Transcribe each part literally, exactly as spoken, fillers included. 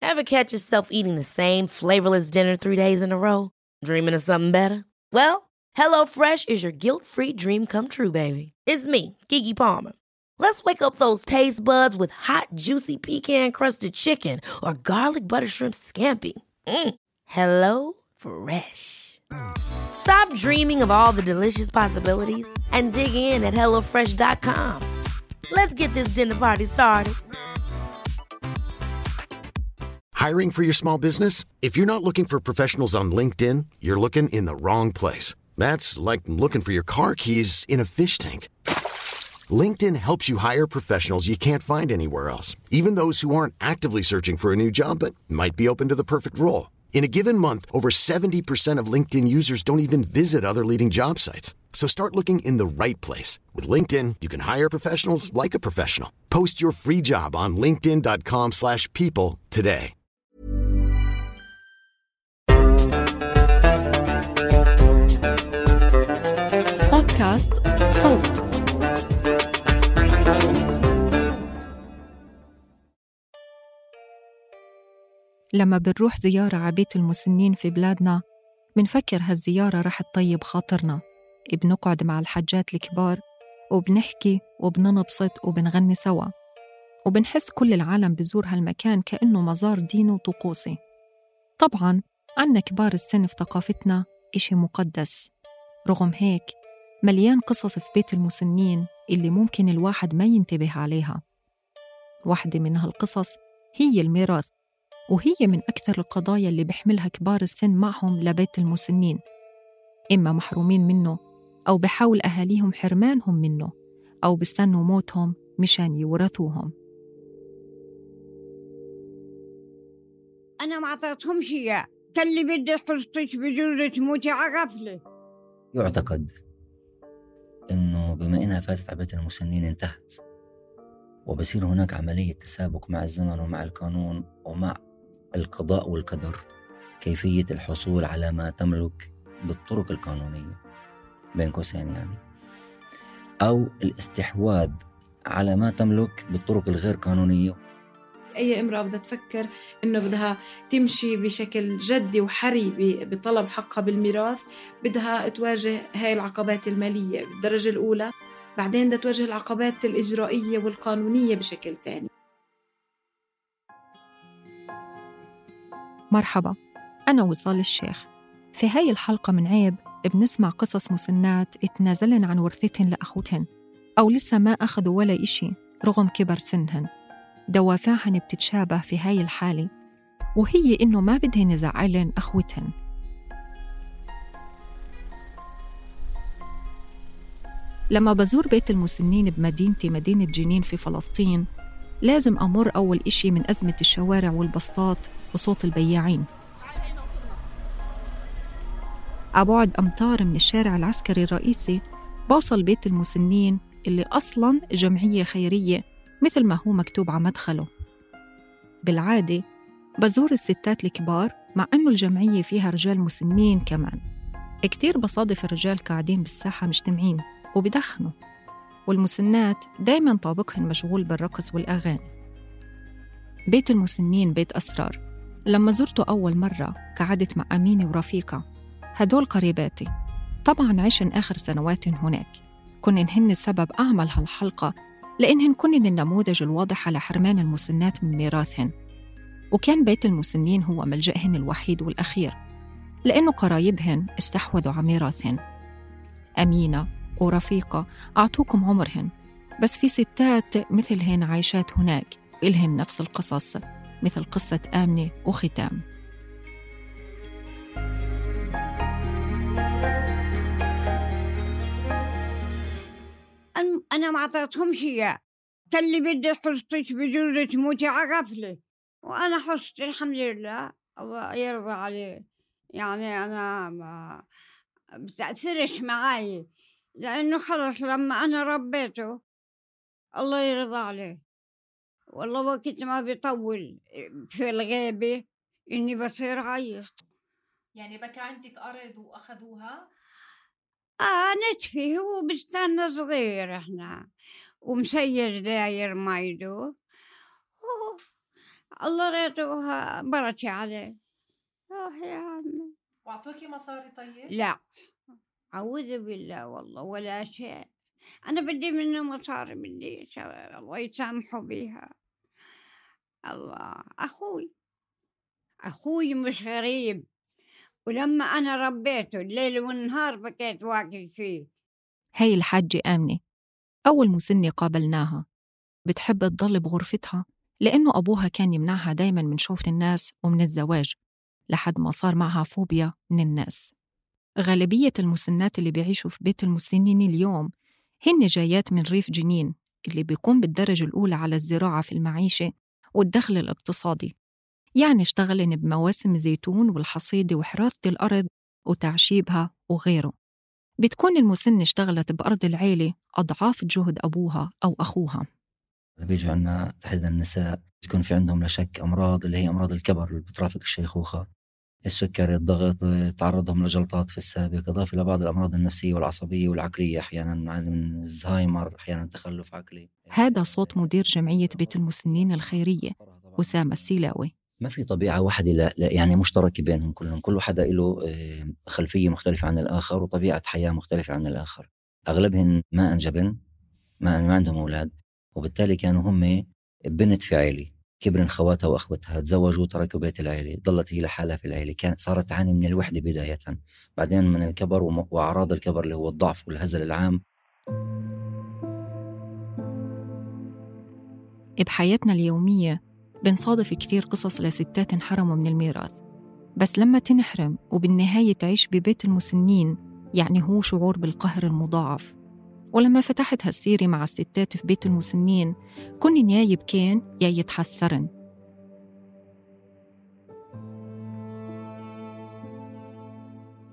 Ever catch yourself eating the same flavorless dinner three days in a row? Dreaming of something better? Well, HelloFresh is your guilt-free dream come true, baby. It's me, Keke Palmer. Let's wake up those taste buds with hot, juicy pecan-crusted chicken or garlic butter shrimp scampi. Mm. Hello Fresh. Stop dreaming of all the delicious possibilities and dig in at hello fresh dot com. Let's get this dinner party started. Hiring for your small business? If you're not looking for professionals on LinkedIn, you're looking in the wrong place. That's like looking for your car keys in a fish tank. LinkedIn helps you hire professionals you can't find anywhere else, even those who aren't actively searching for a new job but might be open to the perfect role. In a given month, over seventy percent of LinkedIn users don't even visit other leading job sites. So start looking in the right place. With LinkedIn, you can hire professionals like a professional. Post your free job on linkedin dot com slash people today. بودكاست صوت. لما بنروح زيارة على بيت المسنين في بلادنا بنفكر هالزيارة رح تطيب خاطرنا. بنقعد مع الحجات الكبار وبنحكي وبننبسط وبنغني سوا، وبنحس كل العالم بزور هالمكان كأنه مزار ديني وطقوسي. طبعاً عنا كبار السن في ثقافتنا إشي مقدس. رغم هيك مليان قصص في بيت المسنين اللي ممكن الواحد ما ينتبه عليها. واحدة من هالقصص هي الميراث، وهي من أكثر القضايا اللي بيحملها كبار السن معهم لبيت المسنين، إما محرومين منه أو بحاول أهاليهم حرمانهم منه أو بستنوا موتهم مشان يورثوهم. أنا ما أعطيتهم شيء، كاللي بدي حرصتك بجرة تموتي عقفلي. يعتقد إنه بما إنها فاتت على بيت المسنين انتهت، وبصير هناك عملية تسابق مع الزمن ومع القانون ومع القضاء والقدر كيفية الحصول على ما تملك بالطرق القانونية بين قوسين يعني، أو الاستحواذ على ما تملك بالطرق الغير قانونية. أي امرأة بدها تفكر إنه بدها تمشي بشكل جدي وحري بطلب حقها بالميراث، بدها تواجه هاي العقبات المالية بالدرجة الأولى، بعدين بدها تواجه العقبات الإجرائية والقانونية بشكل تاني. مرحبا، أنا وصال الشيخ. في هاي الحلقة من عيب بنسمع قصص مسنات اتنازلن عن ورثتهن لأخوتهن أو لسه ما أخذوا ولا إشي رغم كبر سنهن. دوافعهن بتتشابه في هاي الحالة، وهي إنه ما بدهن يزعلن أخوتهن. لما بزور بيت المسنين بمدينتي مدينة جنين في فلسطين، لازم أمر أول إشي من أزمة الشوارع والبسطات وصوت البياعين. أبعد أمتار من الشارع العسكري الرئيسي بوصل بيت المسنين اللي أصلاً جمعية خيرية مثل ما هو مكتوب على مدخله. بالعادة بزور الستات الكبار، مع أنه الجمعية فيها رجال مسنين كمان. كتير بصادف الرجال قاعدين بالساحة مجتمعين وبدخنوا، والمسنات دايماً طابقهن مشغول بالرقص والأغاني. بيت المسنين بيت أسرار. لما زرته أول مرة قعدت مع أمينة ورفيقة، هدول قريباتي. طبعاً عشن آخر سنوات هناك، كنن هن السبب أعمل هالحلقة لأنهن كنن النموذج الواضح على حرمان المسنات من ميراثهن. وكان بيت المسنين هو ملجأهن الوحيد والأخير، لأنه قرايبهن استحوذوا على ميراثهن. أمينة ورفيقة أعطوكم عمرهن، بس في ستات مثلهن عايشات هناك إلهن نفس القصص، مثل قصة آمنة وختام. أنا ما أعطيتهم شيء، كاللي بدي حرصتك بجرة تموتي عقفلي، وأنا حرصت الحمد لله، الله يرضى عليه. يعني أنا ما بتأثرش معي، لأنه خلص لما أنا ربيته الله يرضى عليه. والله وقت ما بيطول في الغيبة إني بصير عيط. يعني بكى عندك أرض وأخذوها؟ آه نتفي، هو بستان صغير إحنا، ومسير داير مايدو، الله ريتوها بركة عليه. روح يا عمي. وأعطوكي مصاري طيب؟ لا أعوذ بالله والله ولا شيء. أنا بدي منه مصاري، بدي الله يسامحه بيها. الله أخوي أخوي مش غريب، ولما أنا ربيته الليل والنهار بكيت واقف فيه. هاي الحاجة آمنة أول مسنة قابلناها، بتحب تضل بغرفتها لأنه أبوها كان يمنعها دايماً من شوف الناس ومن الزواج، لحد ما صار معها فوبيا من الناس. غالبية المسنات اللي بيعيشوا في بيت المسنين اليوم هن جايات من ريف جنين اللي بيقوم بالدرجة الأولى على الزراعة في المعيشة والدخل الاقتصادي، يعني اشتغلن بمواسم الزيتون والحصيدة وحراثة الأرض وتعشيبها وغيره. بتكون المسنة اشتغلت بأرض العيلة أضعاف جهد أبوها أو أخوها. بيجوا عنا تحديدا النساء بتكون في عندهم لا شك أمراض اللي هي أمراض الكبر اللي بترافق الشيخوخة، السكري، الضغط، تعرضهم لجلطات في السابق، إضافة إلى بعض الأمراض النفسية والعصبية والعقلية، أحيانا من الزهايمر، أحيانا تخلف عقلي. هذا صوت مدير جمعية بيت المسنين الخيرية أسامة السيلاوي. ما في طبيعة واحدة لا, لا يعني مشتركة بينهم كلهم، كل حدا له خلفية مختلفة عن الآخر وطبيعة حياة مختلفة عن الآخر. أغلبهم ما أنجبن، ما, ما عندهم أولاد، وبالتالي كانوا هم بنت في عيلة، كبرن خواتها وأخوتها، تزوجوا وتركوا بيت العيلة، ضلت هي لحالها في العيلة، كانت صارت تعاني من الوحدة بداية، بعدين من الكبر وأعراض الكبر اللي هو الضعف والهزل العام. بحياتنا اليومية بنصادف كثير قصص لستات انحرموا من الميراث، بس لما تنحرم وبالنهاية تعيش ببيت المسنين يعني هو شعور بالقهر المضاعف. ولما فتحت هالسيرة مع الستات في بيت المسنين كن يا يبكين يا يتحسرن.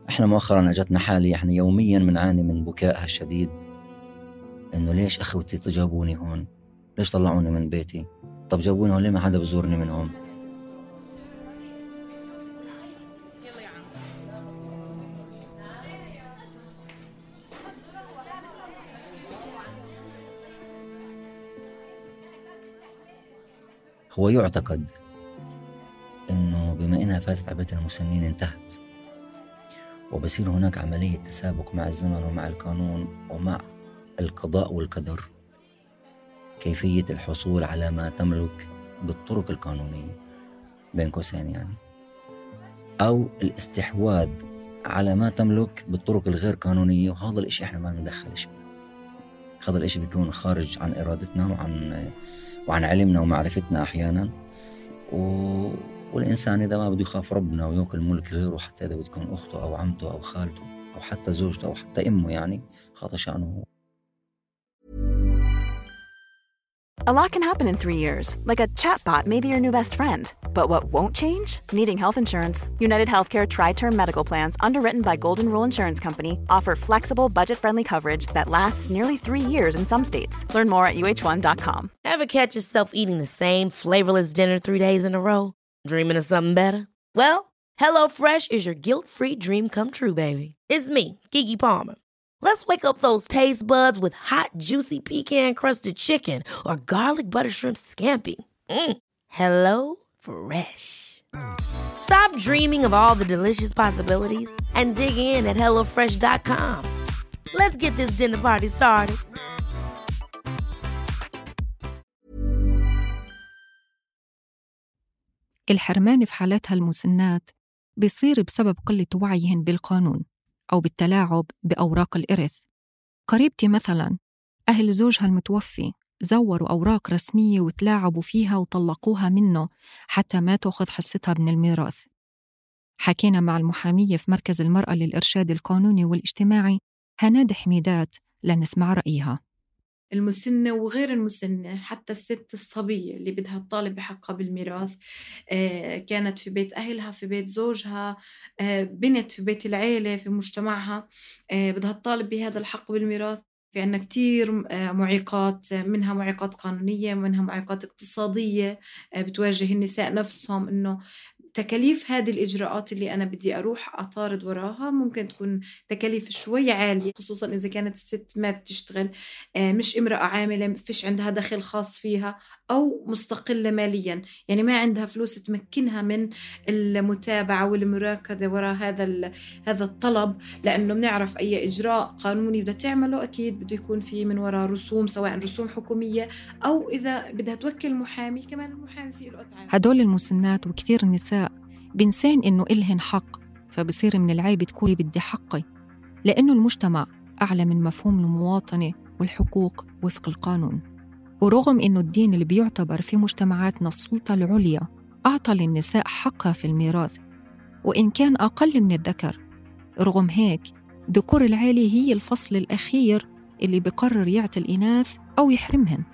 احنا مؤخرا اجتنا حالي احنا يوميا بنعاني من بكائها الشديد، انه ليش اخوتي جابوني هون، ليش طلعوني من بيتي، طب جابوني هون ليه ما حدا بزورني منهم. هو يعتقد انه بما انها فاتت على بيت المسنين انتهت، وبصير هناك عملية تسابق مع الزمن ومع القانون ومع القضاء والقدر، كيفية الحصول على ما تملك بالطرق القانونية بين قوسين يعني، أو الاستحواذ على ما تملك بالطرق الغير قانونية. وهذا الإشي إحنا ما ندخلش فيه، هذا الإشي بيكون خارج عن إرادتنا وعن وعن علمنا ومعرفتنا أحيانا. و... والإنسان إذا ما بده يخاف ربنا ويأكل ملك غيره، حتى إذا بتكون أخته أو عمته أو خالته أو حتى زوجته أو حتى أمه، يعني هذا شأنه. A lot can happen in three years, like a chatbot may be your new best friend. But what won't change? Needing health insurance. United Healthcare Tri-Term Medical Plans, underwritten by Golden Rule Insurance Company, offer flexible, budget-friendly coverage that lasts nearly three years in some states. Learn more at U H one dot com. Ever catch yourself eating the same flavorless dinner three days in a row? Dreaming of something better? Well, HelloFresh is your guilt-free dream come true, baby. It's me, Keke Palmer. Let's wake up those taste buds with hot, juicy pecan-crusted chicken or garlic butter shrimp scampi. Mm. Hello Fresh. Stop dreaming of all the delicious possibilities and dig in at hello fresh dot com. Let's get this dinner party started. الحرمان في حالاتها المسنات بيصير بسبب قلة وعيهن بالقانون أو بالتلاعب بأوراق الإرث. قريبتي مثلاً أهل زوجها المتوفي زوروا أوراق رسمية وتلاعبوا فيها وطلقوها منه حتى ما تأخذ حصتها من الميراث. حكينا مع المحامية في مركز المرأة للإرشاد القانوني والاجتماعي هناد حميدات لنسمع رأيها. المسنة وغير المسنة، حتى الست الصبية اللي بدها تطالب بحقها بالميراث، آه كانت في بيت أهلها، في بيت زوجها، آه بنت في بيت العيلة، في مجتمعها، آه بدها تطالب بهذا الحق بالميراث. في عنا كتير آه معيقات، منها معيقات قانونية، منها معيقات اقتصادية آه بتواجه النساء نفسهم، إنه تكاليف هذه الإجراءات اللي أنا بدي أروح أطارد وراها ممكن تكون تكاليف شوي عالية، خصوصا إذا كانت الست ما بتشتغل، مش امرأة عاملة، فيش عندها دخل خاص فيها، أو مستقلة ماليا، يعني ما عندها فلوس تمكنها من المتابعة والمراكزة وراء هذا هذا الطلب، لأنه بنعرف أي إجراء قانوني بدها تعمله أكيد بده يكون فيه من وراء رسوم، سواء رسوم حكومية أو إذا بدها توكل محامي، كمان المحامي فيه له أتعاب. هدول المسنات وكثير النساء بنسين إنه إلهن حق، فبصير من العيب تقولي بدي حقي، لأنه المجتمع أعلى من مفهوم المواطنة والحقوق وفق القانون. ورغم إنه الدين اللي بيعتبر في مجتمعاتنا السلطة العليا أعطى للنساء حقها في الميراث وإن كان أقل من الذكر، رغم هيك ذكور العيلة هي الفصل الأخير اللي بقرر يعطي الإناث أو يحرمهن.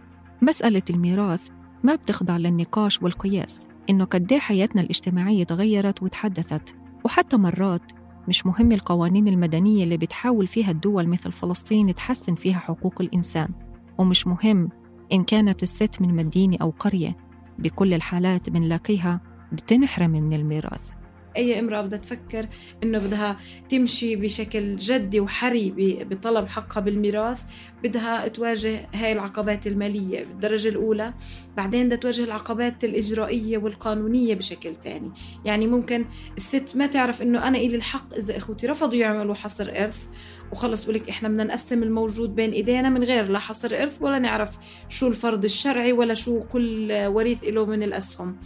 مسألة الميراث ما بتخضع للنقاش والقياس، إنه قد ايه حياتنا الاجتماعية تغيرت وتحدثت، وحتى مرات مش مهم القوانين المدنية اللي بتحاول فيها الدول مثل فلسطين تحسن فيها حقوق الإنسان، ومش مهم إن كانت الست من مدينة أو قرية، بكل الحالات بنلاقيها بتنحرم من الميراث. أي امرأة بدها تفكر إنه بدها تمشي بشكل جدي وحري بطلب حقها بالميراث بدها تواجه هاي العقبات المالية بالدرجة الأولى، بعدين بدها تواجه العقبات الإجرائية والقانونية بشكل تاني. يعني ممكن الست ما تعرف إنه أنا إلي الحق إذا إخوتي رفضوا يعملوا حصر إرث، وخلص بقولك إحنا بدنا نقسم الموجود بين إيدينا من غير لا حصر إرث ولا نعرف شو الفرض الشرعي ولا شو كل وريث إله من الأسهم.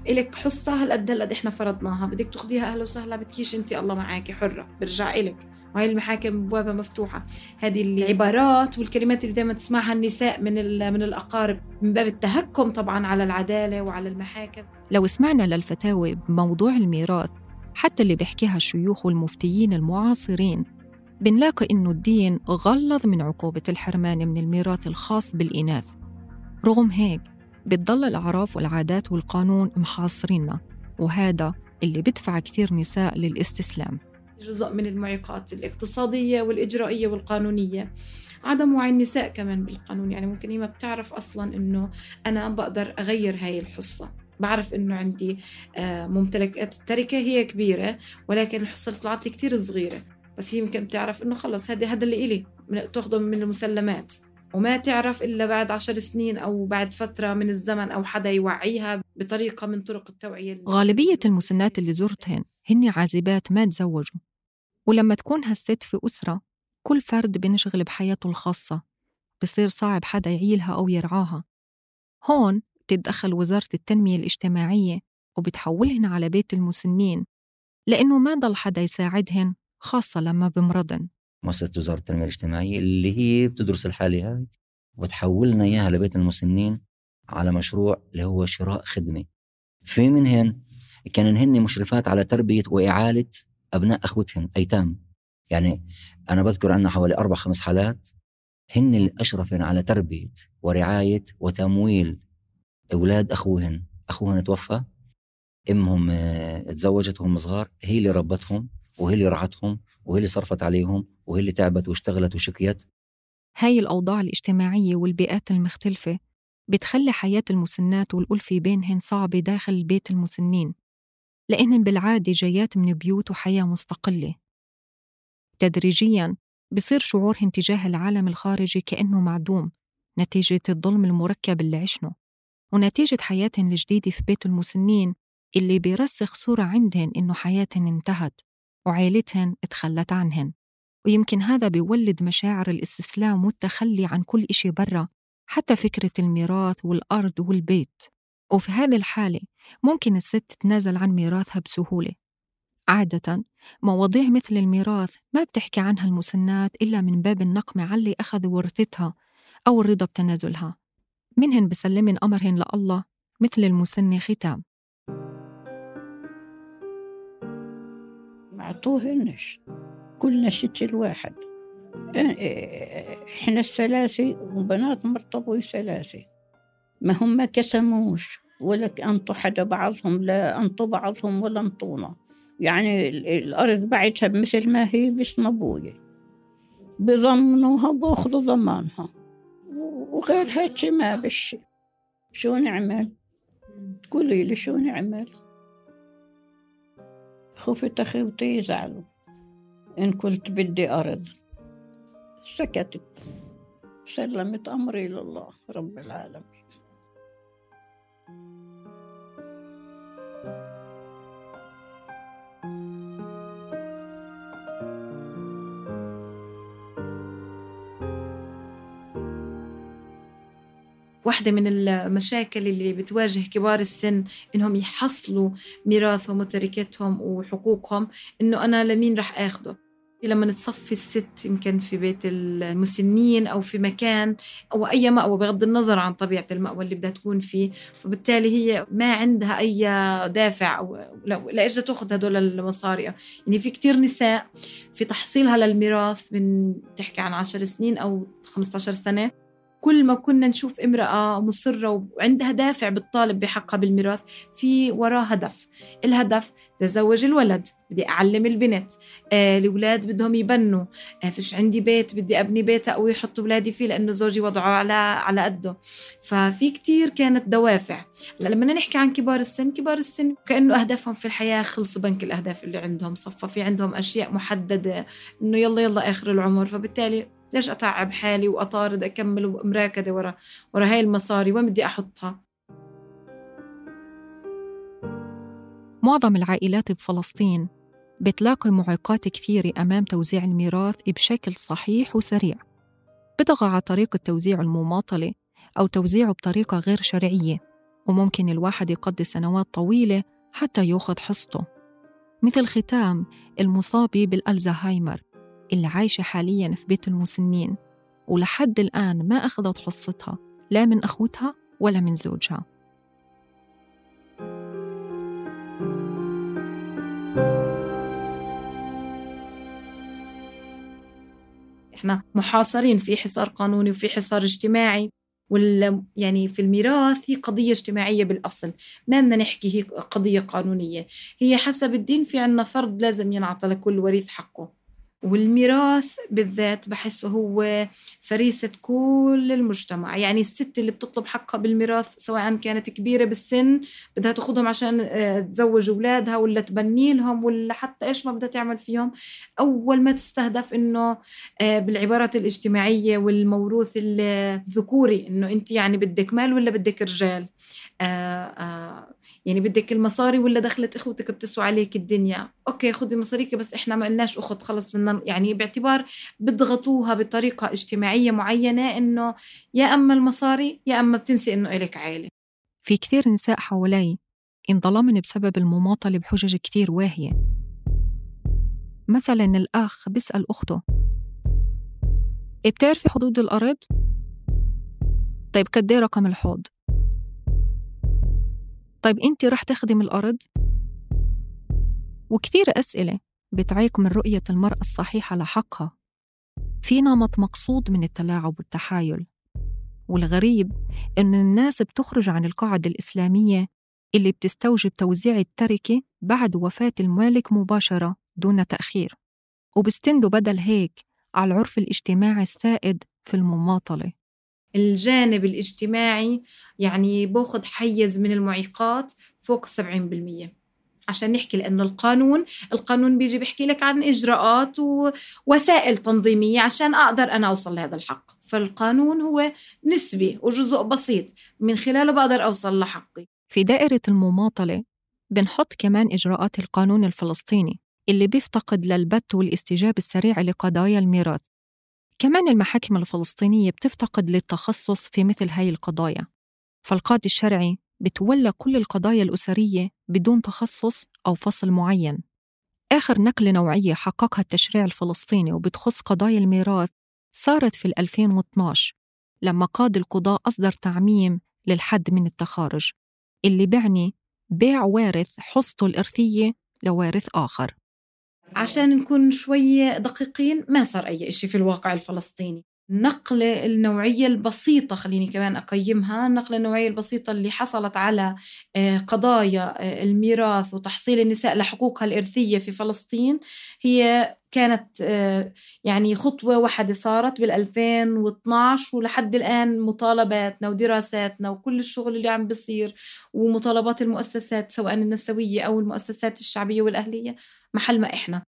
إلك حصة هالقد هالقد إحنا فرضناها، بدك تاخديها أهلا وسهلا، بدكيش أنت الله معاكي حرة، برجع إلك. وهي المحاكم بوابة مفتوحة. هذه العبارات والكلمات اللي دائما تسمعها النساء من من الأقارب من باب التهكم طبعا على العدالة وعلى المحاكم. لو سمعنا للفتاوى بموضوع الميراث حتى اللي بيحكيها الشيوخ والمفتيين المعاصرين، بنلاقي إنه الدين غلظ من عقوبة الحرمان من الميراث الخاص بالإناث. رغم هيك بتضل الأعراف والعادات والقانون محاصريننا، وهذا اللي بدفع كثير نساء للاستسلام. جزء من المعيقات الاقتصادية والإجرائية والقانونية عدم وعي النساء كمان بالقانون. يعني ممكن هي ما بتعرف أصلاً إنه أنا بقدر أغير هاي الحصة، بعرف إنه عندي ممتلكات التركة هي كبيرة ولكن الحصة اللي طلعت لي كتير صغيرة، بس هي يمكن بتعرف إنه خلص هذا هذا اللي إلي تأخذه من المسلمات، وما تعرف إلا بعد عشر سنين أو بعد فترة من الزمن أو حدا يوعيها بطريقة من طرق التوعية. غالبية المسنات اللي زرتهن هن عازبات ما تزوجوا، ولما تكون هالست في أسرة كل فرد بنشغل بحياته الخاصة، بصير صعب حدا يعيلها أو يرعاها. هون تتدخل وزارة التنمية الاجتماعية وبتحولهن على بيت المسنين، لأنه ما ضل حدا يساعدهن خاصة لما بمرضن. مؤسسة وزارة التنمية الاجتماعية اللي هي بتدرس الحالة هاي وتحولنا إياها لبيت المسنين على مشروع اللي هو شراء خدمة. في منهن كانن هن مشرفات على تربية وإعالة أبناء أخوتهن أيتام. يعني أنا بذكر عنا حوالي أربع خمس حالات هن اللي أشرفن على تربية ورعاية وتمويل أولاد أخوهن. أخوهن توفى، أمهم اتزوجت وهم صغار، هي اللي ربتهم وهي اللي رعتهم وهي اللي صرفت عليهم وهي اللي تعبت واشتغلت وشكيت. هاي الأوضاع الاجتماعية والبيئات المختلفة بتخلي حياة المسنات والألفة بينهن صعبة داخل بيت المسنين، لأنهن بالعادة جايات من بيوت وحياة مستقلة. تدريجياً بصير شعورهن تجاه العالم الخارجي كأنه معدوم نتيجة الظلم المركب اللي عشنه، ونتيجة حياتهن الجديدة في بيت المسنين اللي بيرسخ صورة عندهن إنه حياتهن انتهت وعائلتهن اتخلت عنهن. ويمكن هذا بيولد مشاعر الاستسلام والتخلي عن كل إشي برا، حتى فكرة الميراث والأرض والبيت. وفي هذه الحالة ممكن الست تتنازل عن ميراثها بسهولة. عادة مواضيع مثل الميراث ما بتحكي عنها المسنات إلا من باب النقمة على اللي أخذوا ورثتها أو الرضا بتنازلها. منهن بسلمن أمرهن لله مثل المسنة ختام. معطوهنش كلنا ست الواحد، إحنا الثلاثة وبنات مرتبوا ثلاثة، ما هم ما كسموش ولا أنطوا حدا بعضهم، لا أنطوا بعضهم ولا أنطونا. يعني الأرض بعتها مثل ما هي باسم أبوي، بضمنوها بأخذوا ضمانها، وغير هيك ما بشي. شو نعمل؟ قولي لي شو نعمل؟ خفت أخوتي يزعلوا إن كنت بدي أرض. سكتت، سلمت أمري لله رب العالمين. واحدة من المشاكل اللي بتواجه كبار السن إنهم يحصلوا ميراثهم وتركتهم وحقوقهم، إنه أنا لمين رح أخده. لما نتصفي الست يمكن في بيت المسنين أو في مكان أو أي مأوى بغض النظر عن طبيعة المأوى اللي بدها تكون فيه، فبالتالي هي ما عندها أي دافع أو لأجل تأخذ هدول المصاري. يعني في كتير نساء في تحصيلها للميراث من تحكي عن عشر سنين أو خمسة عشر سنة، كل ما كنا نشوف امرأة مصرة وعندها دافع بالطالب بحقها بالميراث في وراء هدف. الهدف تزوج الولد، بدي أعلم البنت، آه الأولاد بدهم يبنوا، آه فيش عندي بيت بدي أبني بيت أو يحط أولادي فيه لأنه زوجي وضعه على على قده. ففي كتير كانت دوافع. لما نحكي عن كبار السن، كبار السن كأنه أهدافهم في الحياة خلص بنك الأهداف اللي عندهم، صفى في عندهم أشياء محددة إنه يلا يلا آخر العمر. فبالتالي ليش أتعب حالي وأطارد أكمل ومراكدة ورا ورا هاي المصاري وين بدي أحطها؟ معظم العائلات بفلسطين بتلاقي معيقات كثيرة أمام توزيع الميراث بشكل صحيح وسريع. بتطغى على طريقة توزيع المماطلة أو توزيعه بطريقة غير شرعية، وممكن الواحد يقضي سنوات طويلة حتى يأخذ حصته، مثل ختام المصابة بالألزهايمر اللي عايشة حالياً في بيت المسنين ولحد الآن ما أخذت حصتها لا من أخوتها ولا من زوجها. إحنا محاصرين في حصار قانوني وفي حصار اجتماعي، وال يعني في الميراث هي قضية اجتماعية بالأصل، ما بدنا نحكي هي قضية قانونية. هي حسب الدين في عنا فرض لازم ينعطى لكل وريث حقه، والميراث بالذات بحسه هو فريسة كل المجتمع. يعني الست اللي بتطلب حقها بالميراث سواء كانت كبيرة بالسن بدها تأخذهم عشان تزوج أولادها ولا تبني لهم ولا حتى إيش ما بدها تعمل فيهم، أول ما تستهدف إنه بالعبارات الاجتماعية والموروث الذكوري إنه أنت يعني بدك مال ولا بدك رجال، آآ آآ يعني بدك المصاري ولا دخلت إخوتك بتسوى عليك الدنيا، أوكي خذي مصاريك بس إحنا ما قلناش أخذ خلص مننا. يعني باعتبار بضغطوها بطريقة اجتماعية معينة إنه يا أما المصاري يا أما بتنسي إنه إليك عائلة. في كثير نساء حوالي انظلمن بسبب المماطلة بحجج كثير واهية. مثلا الأخ بيسأل أخته بتعرفي حدود الأرض؟ طيب كدي رقم الحوض؟ طيب أنت رح تخدم الأرض؟ وكثير أسئلة بتعيق من رؤية المرأة الصحيحة لحقها. في نمط مقصود من التلاعب والتحايل، والغريب إن الناس بتخرج عن القاعدة الإسلامية اللي بتستوجب توزيع التركة بعد وفاة المالك مباشرة دون تأخير، وبستندوا بدل هيك على العرف الاجتماعي السائد في المماطلة. الجانب الاجتماعي يعني باخد حيز من المعيقات فوق سبعين بالمية عشان نحكي، لأنه القانون القانون بيجي بيحكي لك عن إجراءات ووسائل تنظيمية عشان أقدر أنا أوصل لهذا الحق. فالقانون هو نسبي وجزء بسيط من خلاله بقدر أوصل لحقي. في دائرة المماطلة بنحط كمان إجراءات القانون الفلسطيني اللي بيفتقد للبت والاستجابة السريعة لقضايا الميراث. كمان المحاكم الفلسطينية بتفتقد للتخصص في مثل هاي القضايا، فالقاضي الشرعي بتولى كل القضايا الأسرية بدون تخصص أو فصل معين. آخر نقلة نوعية حققها التشريع الفلسطيني وبتخص قضايا الميراث صارت في ألفين واثناشر لما قاضي القضاء أصدر تعميم للحد من التخارج اللي بعني بيع وارث حصته الإرثية لوارث آخر. عشان نكون شوية دقيقين، ما صار أي إشي في الواقع الفلسطيني. النقلة النوعية البسيطة، خليني كمان أقيمها، النقلة النوعية البسيطة اللي حصلت على قضايا الميراث وتحصيل النساء لحقوقها الإرثية في فلسطين هي كانت يعني خطوة واحدة صارت بالألفين واثناعش، ولحد الآن مطالباتنا ودراساتنا وكل الشغل اللي عم بيصير ومطالبات المؤسسات سواء النسوية أو المؤسسات الشعبية والأهلية محل ما إحنا.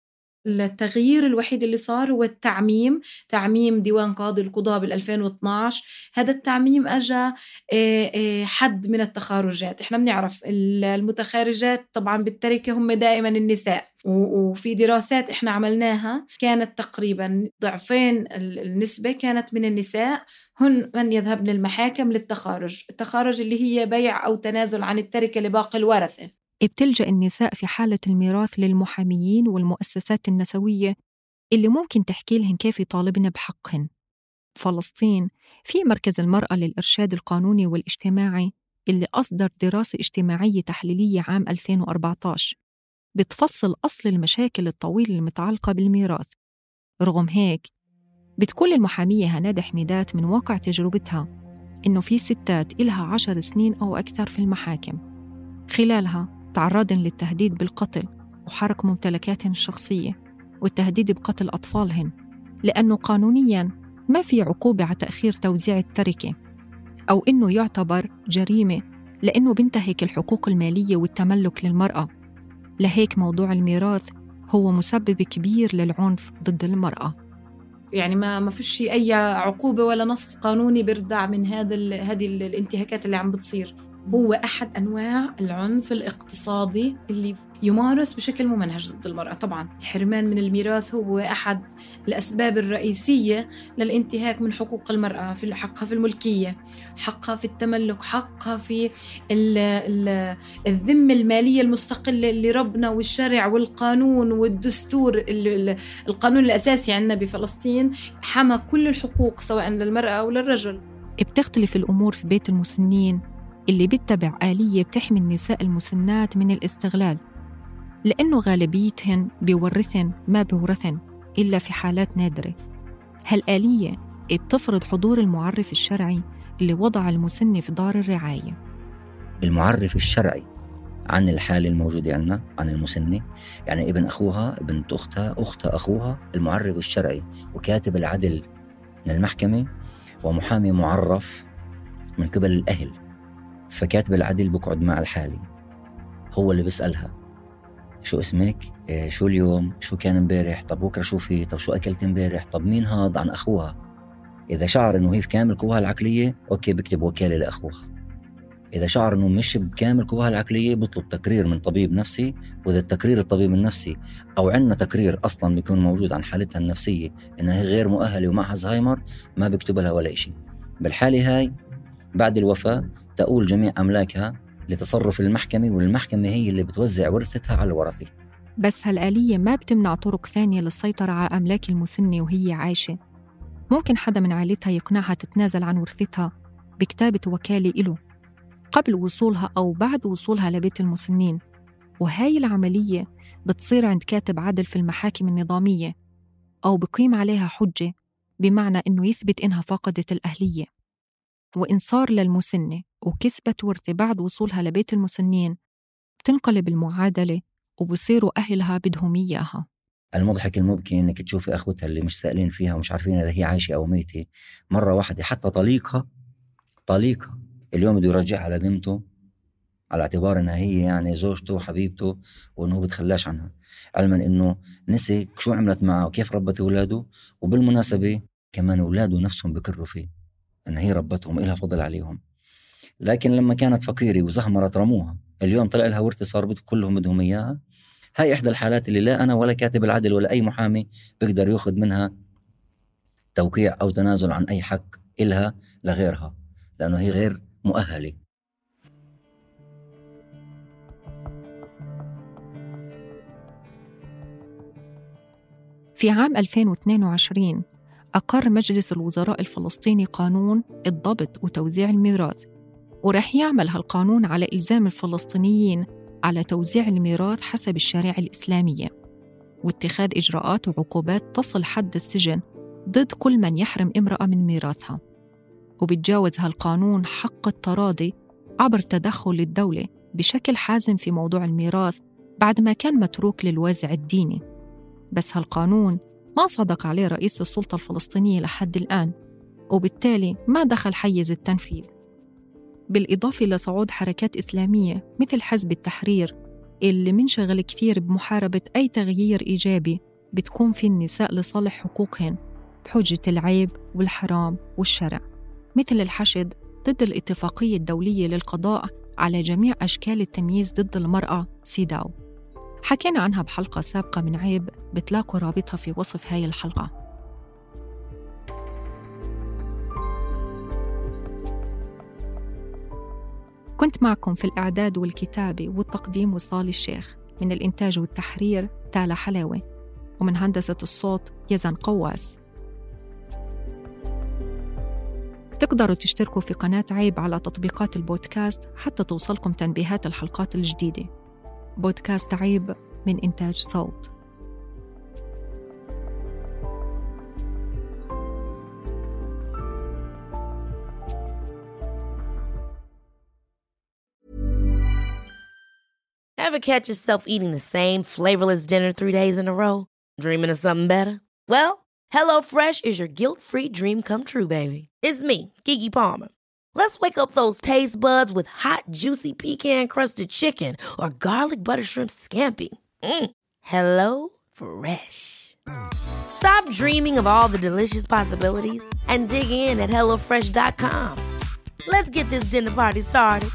التغيير الوحيد اللي صار هو التعميم، تعميم ديوان قاضي القضاء بالألفين واثناعش. هذا التعميم أجا حد من التخارجات. إحنا بنعرف المتخارجات طبعا بالتركة هم دائما النساء، وفي دراسات إحنا عملناها كانت تقريبا ضعفين النسبة كانت من النساء هن من يذهبن للمحاكم للتخارج، التخارج اللي هي بيع أو تنازل عن التركة لباقي الورثة. بتلجأ النساء في حالة الميراث للمحاميين والمؤسسات النسوية اللي ممكن تحكي لهن كيف يطالبن بحقهن. فلسطين في مركز المرأة للإرشاد القانوني والاجتماعي اللي أصدر دراسة اجتماعية تحليلية عام ألفين وأربعتاشر بتفصل أصل المشاكل الطويلة المتعلقة بالميراث. رغم هيك بتقول المحامية هناد حميدات من واقع تجربتها إنه في ستات إلها عشر سنين أو أكثر في المحاكم، خلالها تعرضن للتهديد بالقتل وحرق ممتلكاتهن الشخصية والتهديد بقتل أطفالهن، لأنه قانونياً ما في عقوبة على تأخير توزيع التركة، أو إنه يعتبر جريمة لأنه بينتهك الحقوق المالية والتملك للمرأة. لهيك موضوع الميراث هو مسبب كبير للعنف ضد المرأة. يعني ما ما فيش أي عقوبة ولا نص قانوني بيردع من هذا هذه الانتهاكات اللي عم بتصير. هو أحد أنواع العنف الاقتصادي اللي يمارس بشكل ممنهج ضد المرأة. طبعاً الحرمان من الميراث هو أحد الأسباب الرئيسية للانتهاك من حقوق المرأة، في حقها في الملكية، حقها في التملك، حقها في الذمة المالية المستقلة اللي ربنا والشرع والقانون والدستور، القانون الأساسي عندنا بفلسطين حمى كل الحقوق سواء للمرأة أو للرجل. بتختلف الأمور في بيت المسنين اللي بيتبع آلية بتحمي النساء المسنات من الاستغلال، لأنه غالبيتهن بيورثن ما بيورثن إلا في حالات نادرة. هالآلية بتفرض حضور المعرف الشرعي اللي وضع المسن في دار الرعاية. المعرف الشرعي عن الحالة الموجودة عندنا عن المسنة، يعني ابن أخوها، بنت أختها، أختها أخوها، المعرف الشرعي وكاتب العدل من المحكمة ومحامي معرف من قبل الأهل. فكاتب العدل بقعد مع الحالة، هو اللي بيسألها شو اسمك، إيه شو اليوم، شو كان امبارح، طب بكره شو في، طب شو أكلت امبارح، طب مين هاد عن أخوها. إذا شعر إنه هي في كامل قواها العقلية أوكي بكتب وكالة لأخوها. إذا شعر إنه مش بكامل قواها العقلية بطلب تقرير من طبيب نفسي، وإذا التقرير الطبيب النفسي أو عندنا تقرير أصلاً بيكون موجود عن حالتها النفسية إنها غير مؤهلة ومعها زهايمر ما بيكتب لها ولا إشي. بالحالة هاي بعد الوفاة تقول جميع أملاكها لتصرف المحكمة، والمحكمة هي اللي بتوزع ورثتها على الورثة. بس هالآلية ما بتمنع طرق ثانية للسيطرة على أملاك المسنة وهي عايشة. ممكن حدا من عائلتها يقنعها تتنازل عن ورثتها بكتابة وكالة إله قبل وصولها أو بعد وصولها لبيت المسنين، وهاي العملية بتصير عند كاتب عدل في المحاكم النظامية، أو بقيم عليها حجة بمعنى إنه يثبت إنها فقدت الأهلية. وإن صار للمسنة وكسبت ورثة بعد وصولها لبيت المسنين بتنقلب المعادلة وبصيروا أهلها بدهم إياها. المضحك المبكي إنك تشوفي أخوتها اللي مش سائلين فيها ومش عارفين إذا هي عايشة أو ميتة، مرة واحدة حتى طليقها طليقها اليوم بده يرجعها على ذمته على اعتبار إنها هي يعني زوجته وحبيبته وإنه بتخلاش عنها، علما إنه نسي شو عملت معه وكيف ربت أولاده. وبالمناسبة كمان أولاده نفسهم بكروا فيه إن هي ربتهم إلها فضل عليهم، لكن لما كانت فقيرة وزهمرت رموها، اليوم طلع لها ورثة صار كلهم بدهم إياها. هاي إحدى الحالات اللي لا أنا ولا كاتب العدل ولا أي محامي بيقدر يأخذ منها توقيع أو تنازل عن أي حق إلها لغيرها، لأنه هي غير مؤهلة. في عام ألفين واثنين وعشرين أقر مجلس الوزراء الفلسطيني قانون الضبط وتوزيع الميراث، ورح يعمل هالقانون على إلزام الفلسطينيين على توزيع الميراث حسب الشريعة الإسلامية، واتخاذ إجراءات وعقوبات تصل حد السجن ضد كل من يحرم امرأة من ميراثها، وبتجاوز هالقانون حق التراضي عبر تدخل الدولة بشكل حازم في موضوع الميراث بعد ما كان متروك للوازع الديني. بس هالقانون ما صدق عليه رئيس السلطة الفلسطينية لحد الآن، وبالتالي ما دخل حيز التنفيذ. بالإضافة لصعود حركات إسلامية مثل حزب التحرير اللي منشغل كثير بمحاربة أي تغيير إيجابي بتكون في النساء لصالح حقوقهن بحجة العيب والحرام والشرع، مثل الحشد ضد الاتفاقية الدولية للقضاء على جميع أشكال التمييز ضد المرأة سيداو. حكينا عنها بحلقة سابقة من عيب، بتلاقوا رابطها في وصف هاي الحلقة. كنت معكم في الإعداد والكتابة والتقديم وصال الشيخ، من الإنتاج والتحرير تالا حلاوة، ومن هندسة الصوت يزن قواس. تقدروا تشتركوا في قناة عيب على تطبيقات البودكاست حتى توصلكم تنبيهات الحلقات الجديدة. بودكاست عيب من إنتاج صوت. Ever catch yourself eating the same flavorless dinner three days in a row? Dreaming of something better? Well, HelloFresh is your guilt-free dream come true, baby. It's me, Keke Palmer. Let's wake up those taste buds with hot, juicy pecan-crusted chicken or garlic butter shrimp scampi. Mm. Hello Fresh. Stop dreaming of all the delicious possibilities and dig in at hello fresh dot com. Let's get this dinner party started.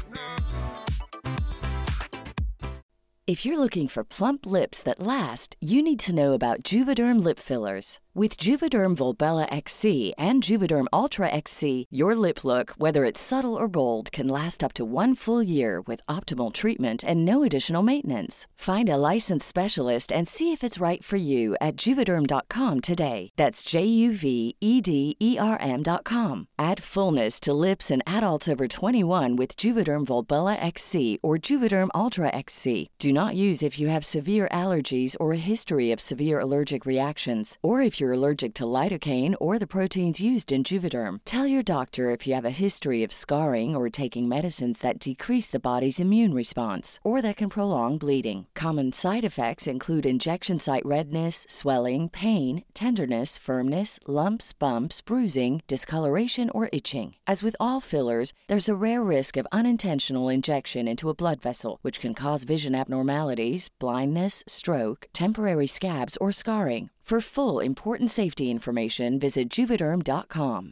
If you're looking for plump lips that last, you need to know about Juvederm lip fillers. With Juvederm Volbella X C and Juvederm Ultra X C, your lip look, whether it's subtle or bold, can last up to one full year with optimal treatment and no additional maintenance. Find a licensed specialist and see if it's right for you at Juvederm dot com today. That's J U V E D E R M dot com. Add fullness to lips in adults over twenty-one with Juvederm Volbella X C or Juvederm Ultra X C. Do not use if you have severe allergies or a history of severe allergic reactions, or if you're allergic to lidocaine or the proteins used in Juvederm. Tell your doctor if you have a history of scarring or taking medicines that decrease the body's immune response or that can prolong bleeding. Common side effects include injection site redness, swelling, pain, tenderness, firmness, lumps, bumps, bruising, discoloration, or itching. As with all fillers, there's a rare risk of unintentional injection into a blood vessel, which can cause vision abnormalities, blindness, stroke, temporary scabs, or scarring. For full, important safety information, visit Juvederm dot com.